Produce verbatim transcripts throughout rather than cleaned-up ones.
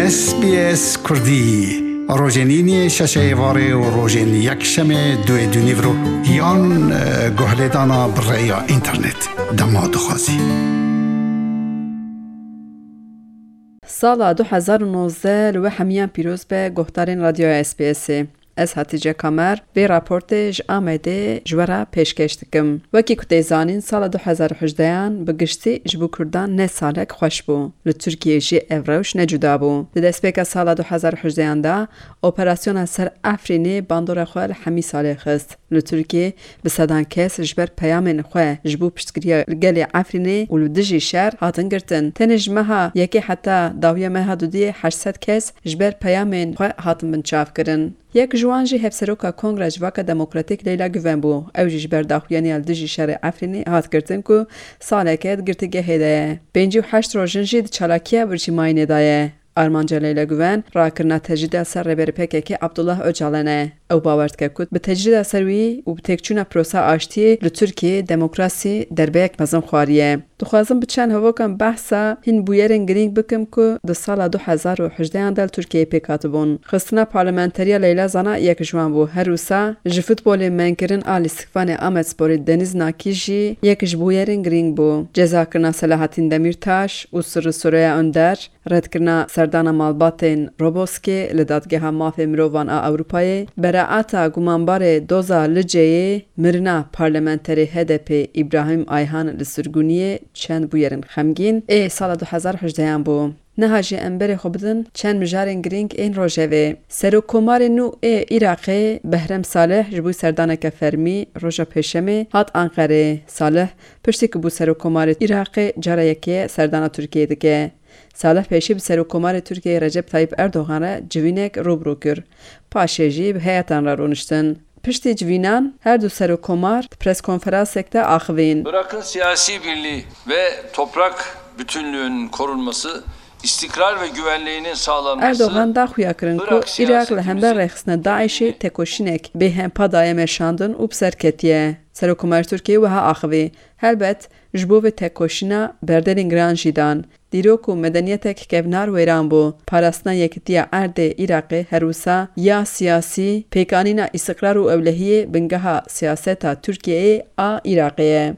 S B S Kurdî, rojên îniyê şeşê êvarê û rojên yekşemê duê dûnîvro yan, e, guhlêdana bi rêya înternet. Dema dixwazî. Sala du hezar û nozdeh li we hemiyan pîroz be, guhdarên Radyoya S B S'ê. Ez Hatice Kamer vê raportê ji Amedê ji we re pêşkêş dikim. Wekî ku tê zanîn, sala du hezar û hejdehan bi giştî ji bo Kurdan ne salek xweş bû. Li Tirkiyê jî ev rewş ne cuda bû. Di destpêka sala du hezar û hejdehan de operasyona ser Efrînê bandora xwe li hemî salê xist. Li Tirkiyê bi sedan kes ji ber peyamên xwe ji bo piştgiriya gelê Efrînê û li dijî şer hatin girtin. Tenê ji meha yekê heta dawiya meha dudiyê heşt sed kes ji ber peyamên xwe hatin binçavkirin. Yek ji wan jî hevseroka Kongra Civaka Demokratîk Leyla Guven bû. Ew jî ji ber daxuyaniya li dijî şerê Efrînê hat girtin ku saleke di girtîgehê de ye. Pêncî û heşt rojin jî di çalakiya birçîmayînê de ye. Armanca Leyla Guven rakirina tecrîda ser rêberê P K K Abdullah Ocalan e. Ew bawer dike ku bi tecrîda ser wî û bi têkçûna prosa aştiyê li Tirkiyê demokrasî derbeyek mezin xwariye. Dixwazim bi çend hevokan behsa hîn bûyerên girîng bikim ku di sala du hezar û hejdehan de li Tirkiyeyê pêk hatibûn. Xistina parlamenteriya Leyla Zana yek ji wan bû. Her wisa ji futbolê menkirin a lîstikvanê Amedsporê Deniz Nakî jî yek ji bûyerên girîng bû. Cezakirina Selahattin Demirtaş û Sirri Süreyya Önder, redkirina serdana malbatên Roboskê li Dadgeha Mafê Mirovan a Ewropayê, beraata gumanbarê doza Liceyê, mirina parlamenterê H D P Îbrahîm Ayhan li Sirguniyê çend bûyerên xemgîn ê sala du hezar û hejdehan bû. Niha jî em berê xwe bidin çend mijarên girîng ên rojevê. Serokkomarê nû ê Iraqê Behrem Salih ji bo serdaneke fermî roja Pêşemê hat Anqerê. Salih piştî ku bû serokkomarê Iraqê cara yekê serdana Tirkiyeyê dike. Salih pêşî bi serokkomarê Tirkiyeyê Recep Tayyip Erdogan re civînek rû bi rû kir. Paşê jî bi heyetan re rûniştin. Piştî civînan her du serokkomar di preskonferansek de axivîn. Irak'ın siyasi birliği ve toprak bütünlüğünün korunması, istikrar ve güvenliğinin sağlanması, Erdogan da xuya kirin ku Irak Iraq li hember siyasetimizin rêxistina DAIŞê tekoşînek bêhempa daye meşandin û bi ser ketiye. Serokkomarê Tirkiyeyê wiha axivî, Helbet, ji bo vê tekoşîna berdelên giran jî dan. Dîrok û medeniyetek kevnar wêran bû. Parastina yekitiya erdê Iraqê her wisa ya siyasî, pêkanîna îstiqrar û ewlehiyê bingeha siyaseta Tirkiyeyê a Iraqê ye.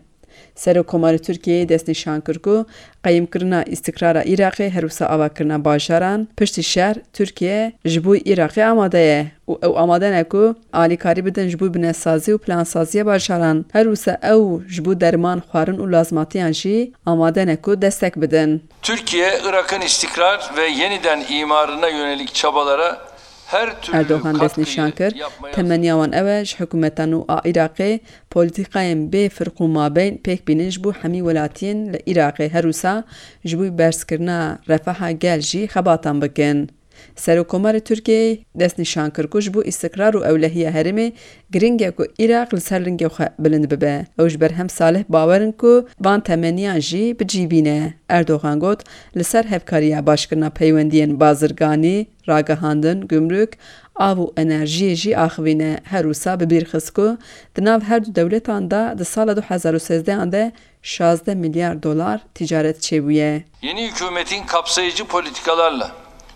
Serokkomarê Tirkiyeyê destnîşan kir ku qeyimkirina îstiqrara Iraqê her wisa avakirina bajaran, piştî şer Tirkiye ji bo Iraqê amade ye. Û ew amade ne ku alîkarî bidin ji bo binesazî û plansaziya bajaran. Her wisa ew ji bo derman, xwarin û lazimatiyan jî amade ne ku destek bidin. Türkiye, Irak'ın istikrar ve yeniden imarına yönelik çabalara her türlü Erdogan destnîşan katkıyı kir, yapmaya temeniya wan ew e ji hikûmeta nû a Iraqê polîtîkayên bê firq û mabeyn pêk bînin ji bo hemî welatiyên li Iraqê, her wisa ji bo berzkirina refaha gel jî xebatan bikin. Serokkomarê Tirkiyeyê destnîşan kir ku ji bo îstiqrar û ewlehiya herêmê giring e ku Iraq li ser lingê xwe bilind bibe. Ew ji Berhem Salih bawer in ku van temeniyan jî bi cî bîne. Erdogan got, li ser hevkariya başkirina peywendiyên bazirganî, ragihandin, gumruk, av û enerjiyê jî axivîne. Her wisa bi bîr xist ku di nav her du dewletan de di sala du hezar û sêzdeh an de şazdeh milyar dolar ticaret çêbûye. Yeni hükümetin kapsayıcı politikalarla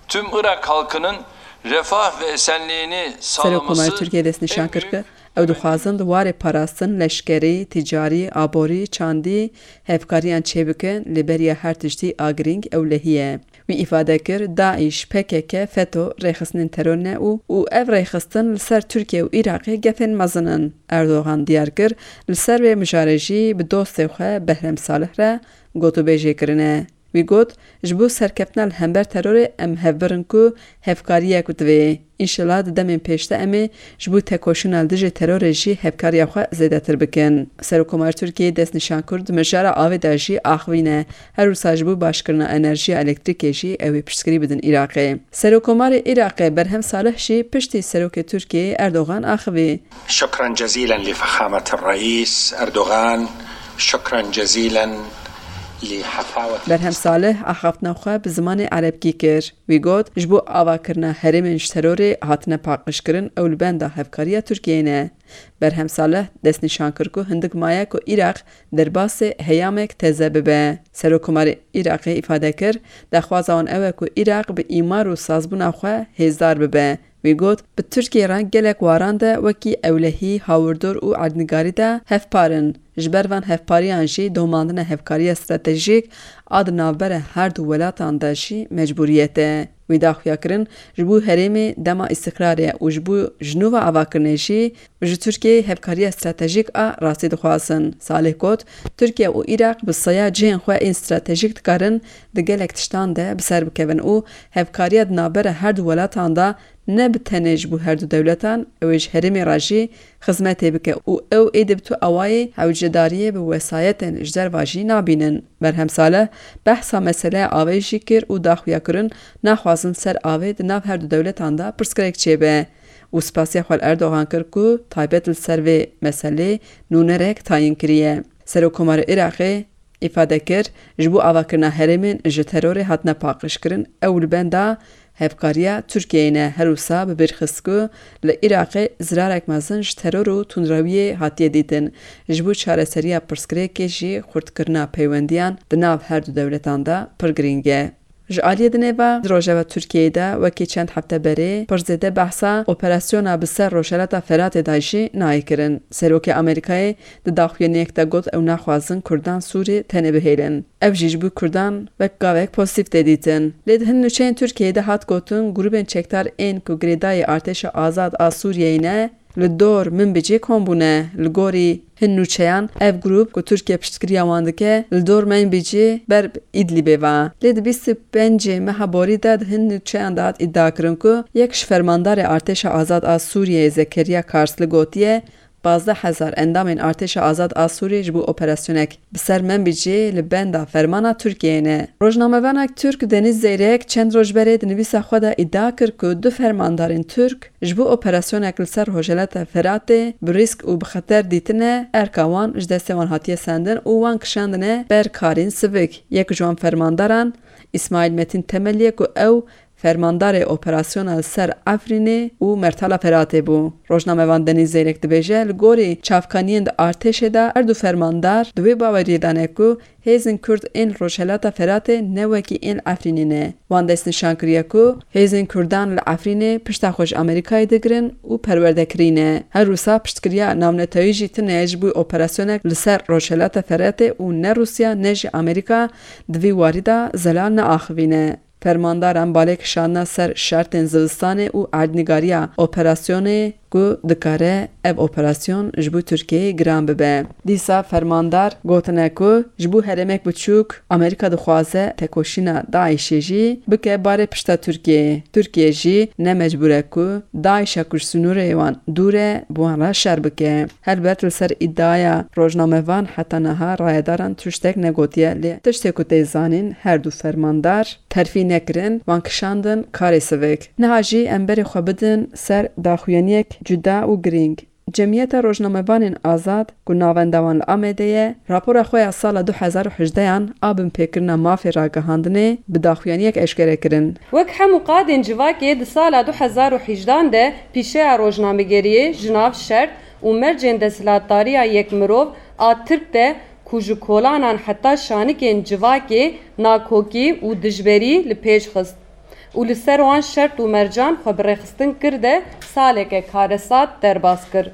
tüm Irak halkının refah ve esenliğini sağlaması Serokkomarê Tirkiyê destnîşan kir ku ew dixwazin di warê parastin, leşkerî, ticarî, aborî, çandî hevkariyan çêbikin, lê beriya her tiştî a girîng ewlehî ye. Wî îfade kir, DAIŞ, P K K, FETO rêxistinên teror ne û û ev rêxistin li ser Tirkiye û Iraqê gefên mezin in. Erdogan diyar kir, li ser vê mijarê jî bi dostê xwe Behrem Salih re gotûbêjê kirine. Wî got, ji bo serkeftina li hember terorê em hevbir in ku hevkariyek divê. Înşela di demên pêş de em ê ji bo tekoşîna li dijî terorê jî hevkariya xwe zêdetir bikin. Serokkomarê Tirkiyeyê destnîşan kir, di mijara avê de jî axivîne. Her wisa ji bo başkirina enerjiya elektrîkê jî ew ê piştgirî bidin Iraqê. Serokkomarê Iraqê Berhem Salih jî piştî serokê Tirkiyeyê Erdogan axivî. شكرا جزيلا لفخامة الرئيس أردوغان. شكرا جزيلا Berhem Salih axaftina xwe bi zimanê erebkî kir. Wî got, ji bo avakirina herêmên ji terorê hatine paqijkirin, ew li benda hevkariya Tirkiyeyê ne. Berhem Salih destnîşan kir ku hindik maye ku Iraq derbasê heyamek teze bibe. Serokkomarê Iraqê îfade kir, daxwaza wan ew e ku Iraq bi îmar û sazbûna xwe hêzdar bibe. Wî got, bi Tirkiyê re gelek waran de wekî ewlehî, hawirdor û erdnîgarî de hevpar in. Ji ber van hevpariyan jî domandina hevkariya stratejîk a di navbera her du welatan de jî mecbûriyet e. Wî daxuya kirin, ji bo herêmê dema îstiqrarê û ji bo ji nû ve avakirinê jî ji Tirkiyeyê hevkariya stratejîk a rastî dixwazin. Salih got, Tirkiye û Iraq bi saya cihên xwe ên stratejîk dikarin di gelek tiştan de bi ser bikevin û hevkariya di navbera her du welatan de ne bi tenê ji bo her du dewletan, ew ê ji herêmê re jî xizmetê bike û ew êdî bi tu awayê hewcedariyê bi wesayetên ji derva jî nabînin. Berhem Salih behsa meseleya avê jî kir û daxuya kirin, naxwazin ser avê di nav her du dewletan de pirsgirêk çêbe û spasiya xwe li Erdogan kir ku taybet li ser vê meselê nûnerek tayîn kiriye. Serokkomarê Iraqê îfade kir, ji bo avakirina herêmên ji terorê hatine paqijkirin, ew li benda hevkariya Tirkiyeyê ne. Her wisa bi bîr xist ku li Iraqê zirarek mezin ji teror û tundrewiyê hatiye dîtin. Ji bo çareseriya pirsgirêkê jî xurtkirina peywendiyan di nav her du dewletan de pir girîng e. Ji aliyê dinê ve, di rojeva Tirkiyeyê de wekî çend hefte berê pir zêde behsa operasyona bi ser Rojhilata Feratê de jî nayê kirin. Serokê Amerîkayê di daxuyaniyek de got, ew naxwazin Kurdan Sûrî tenê bihêlin. Ev jî ji bo Kurdan wek gavek pozîtîf tê dîtin. Lê di hin nûçeyên Tirkiyeyê de hat gotin, grûbên çekdar ên ku girêdayî Artêşa Azad a Sûriyeyê ne, li dor Minbicê kom bûne. Li gorî hin nûçeyan, ev grûp ku Tirkiye piştgiriya wan dike, li dor Minbicê ber bi Îdlîbê ve. Lê di bîst û pêncê meha borî de di hin nûçeyan de hat îdia kirin ku yek ji fermandarê Artêşa Azad a Sûriyeyê Zekeriya Karsli gotiye, pazdeh hezar endamên Artêşa Azad a Sûriyê ji bo operasyonek bi ser Menbicê li benda fermana Tirkiyeyê ne. Rojnamevanek Tirk Deniz Zeyrek çend roj berê di nivîsa xwe de îdia kir ku du fermandarên Tirk ji bo operasyonek li ser Rojhilata Feratê bi rîsk û bi xeter dîtine, erka wan ji destê wan hatiye sendin û wan kişandine ber karên sivik. Yek ji wan fermandaran Îsmaîl Metîn Temelî ye ku ew fermandarê operasyona li ser Efrînê û Mertala Feratê bû. Rojnamevan Denîz Zeyrek dibêje, li gorî çavkaniyên di artêşê de her du fermandar di wê baweriyê de ne ku hêzên Kurd ên Rojhilata Feratê ne wekî ên Efrînê ne. Wan destnîşan kiriye ku hêzên Kurdan li Efrînê pişta xwe ji Amerîkayê digirin û perwerdekirî ne. Her wisa piştgiriya navnetewî jî tune ji bo operasyonek li ser Rojhilata Feratê û ne Rûsya ne jî Amerîka di vî warî de zelal neaxivîne. Fermandaran balê kişandina ser şertên zivistanê û erdnîgariya operasyonê ku dikare ev operasyon ji bo Tirkiyeyê giran bibe. Dîsa fermandar gotine ku ji bo herêmek biçûk Amerîka dixwaze tekoşîna DAIŞê jî bike barê pişta Tirkiyeyê. Tirkiye jî ne mecbûr e ku DAIŞa ku ji sînorê wan dûr e, bi wan re şer bike. Helbet li ser îdiaya rojnamevan heta niha rayedaran tiştek negotiye, lê tiştê ku tê zanîn, her du fermandar terfî nekirin, wan kişandin karê sivik. Niha jî em berê xwe bidin ser daxuyaniyek cuda û girîng. Cemiyeta Rojnamevanên Azad, ku navenda wan li Amedê ye, rapora xwe ya sala du hezar û hejdeyan a binpêkirina mafê ragihandinê bi daxuyaniyek eşkere kirin. Wek hemû qadên civakê di sala du hezar û hejdehan de pîşeya rojnamegeriyê ji nav şert û mercên desthilatdariya yek mirov a Tirk de ku ji kolanan heta şanikên civakê nakokî û dijberî li pêş xist û li ser wan şert û mercan xwe bi rêxistin kir de saleke karesat derbas kir.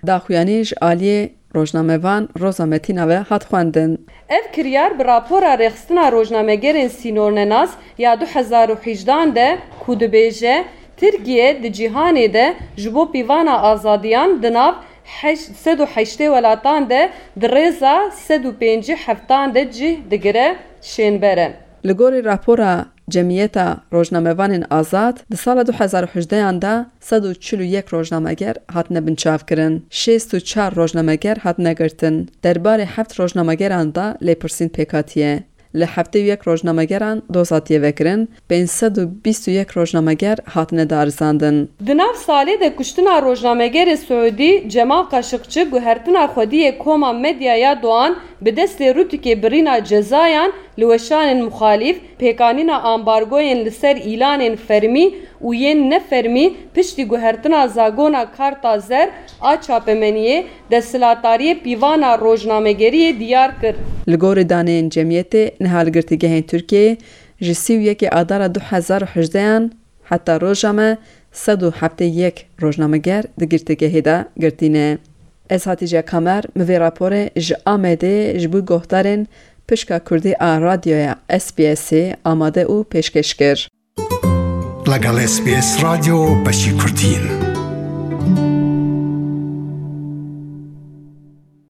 Daxuyanî ji aliyê rojnamevan Roza Metîna ve hat xwendin. Ev kiryar bi rapora Rêxistina Rojnamegerên Sînornenas ya du hezar û hejdehan de ku dibêje, Tirkiye di cîhanê de ji bo pîvana azadiyan di nav heşt sed û heştê welatan de di rêza sed û pêncî heftan de cih digire, şênber e. Li gorî rapora Cemiyeta Rojnamevanên Azad, di sala du hezar û hejdehan de sed û çil û yek rojnameger hatine binçavkirin, şêst û çar rojnameger hatine girtin. Derbarê heft rojnamegeran de lêpirsîn pêk hatiye. Li heftê û yek rojnamegeran doz hatiye vekirin, pênc sed û bîst û yek rojnameger hatine darizandin. Di nav salê de kuştina rojnamegerê Siûdî Cemal Kaşıkçı guhertina xwediyê koma medyaya Doğan bi destê Rûtükê birîna cezayan li weşanên muxalîf, pêkanîna ambargoyên li ser îlanên fermî û yên nefermî piştî guhertina zagona Karta Zer a çapemeniyê, desthilatdariyê pîvana rojnamegeriyê diyar kir. Li gorî daneyên cemiyetê, niha li girtîgehên Tirkiyeyê ji sî û yekê Adara du hezar û hejdeyan heta roja me sed û heftê yek rojnameger di girtîgehê de girtî ne. Ez Hatîce Kamer, min vê raporê ji Amedê ji bo guhdarên Pişka Kurdî a Radyoya S B S'ê amade û pêşkêş kir. لەگەڵ S B S رادیۆ بەشی کوردین.